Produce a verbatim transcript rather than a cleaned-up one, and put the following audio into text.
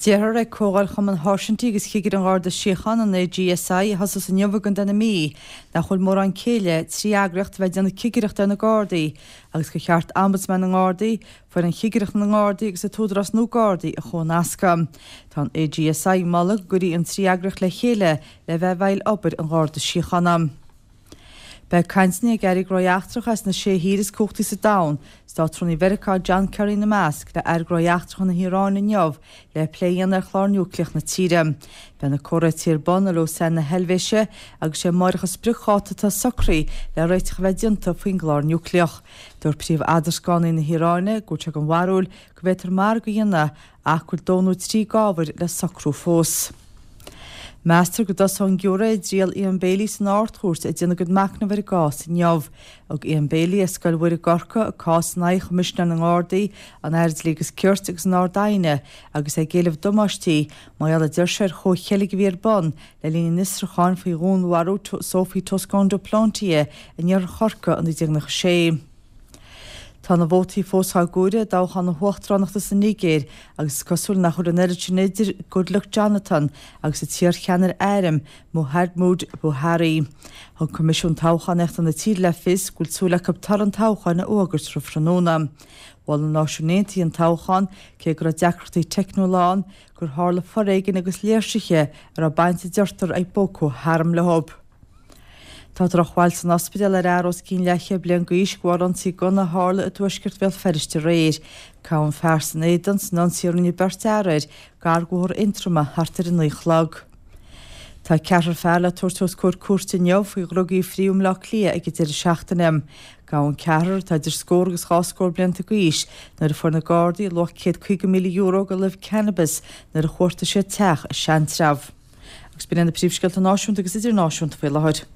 Deirtear ag Comhdháil Chumann Sháirsintí agus Chigirí an Gharda Síochána, an A G S I, a thosós inniu i gContae na Mí, nach bhfuil mórán céille trí eagraíocht a bheith ag déanamh cigireachta ar na Gardaí agus gur cheart Ombudsman na nGardaí, foireann chigireachta na nGardaí agus an tÚdarás nua Gardaí a chomhnascadh. Tá an A G S I ag moladh go gcuirfí an trí eagraíocht le chéile le bheith i bhfeighil obair an Gharda Síochána. Beidh cainteanna ag Airí Gnóthaí Eachtracha as na sé thír is cumhachtaí sa domhan, Státrúnaí Mheiriceá John Kerry ina measc, le Aire Gnóthaí Eachtracha na hIaráine inniu le plé a dhéanamh ar chlár núicléach na tíre. Beidh na comhráití ar bun i Lausanne na Heilvéise agus sé amárach an spriocdháta atá socraithe le réiteach a bheith déanta faoin gclár núicléach. Dúirt príomh-eadrascánaí na hIaráine go bhfuil sé den bharúil go bhféadfar margadh a dhéanamh ach go bhfuil dó nó trí d'ábhair le socrú fós. Meastar go dtosóidh an giúiré i dtriail Ian Bailey san Ard-Chúirt ag déanamh a gcuid machnamh ar an gcás inniu. Thug Ian Bailey as Scoil Mhuire i gCorcaigh a cás in aghaidh Choimisinéir na nGardaí, an Aire Dlí agus Cirt agus an Ard-Aighne agus é ag éileamh damáistí mar gheall a deir sé ar chomhcheilg a bhí ar bun le linn an fhiosrúcháin faoi dhúnmharú Sophie Toscan du Plantier in iarthar Chorcaí in naoi déag nócha sé. Tá na vótaí fós á gcomhaireamh i dtoghchán na huachtaránachta sa Nigéir agus is cosúil nach bhfuil an oiread sin idir Goodluck Jonathan agus an t-iarcheannaire airm Muhammadu Buhari. Thug Coimisiún Toghchánaíochta na tíre le fios go bhfuil súil acu toradh an toghcháin a fhógairt roimh thráthnóna. Mhol na Náisiúin Aontaithe an toghchán cé go raibh deacrachtaí teicniúla ann gur tharla foréigean agus léirsithe a raibh baint a deirtear ag Boko Haram leo. Tá drochbhail san ospidéal ar fhear os cionn leathchéad bliain d'aois de bharr ionsaí gunna a tharla i dtuaisceart Bhéal Feirste aréir. Gabhadh an fear san éadan san ionsaí a rinne beirt fhear air gar do Bhóthar Aontroma thart ar a naoi a chlog. Tá ceathrar fear le tabhairt os comhair cúirte inniu faoi dhrugaí a fríodh i mBleá Cliath ag an deireadh seachtaine. Gabhadh an ceathrar atá idir scór agus dhá scór blianta d'aois nuair a fuair na Gardaí luach céad caoga míle euro de luibh cannabis nuair a chuartaigh siad teach i Seantrabh. Agus b'in na príomhscéalta náisiúnta agus idirnáisiúnta faoi láthair.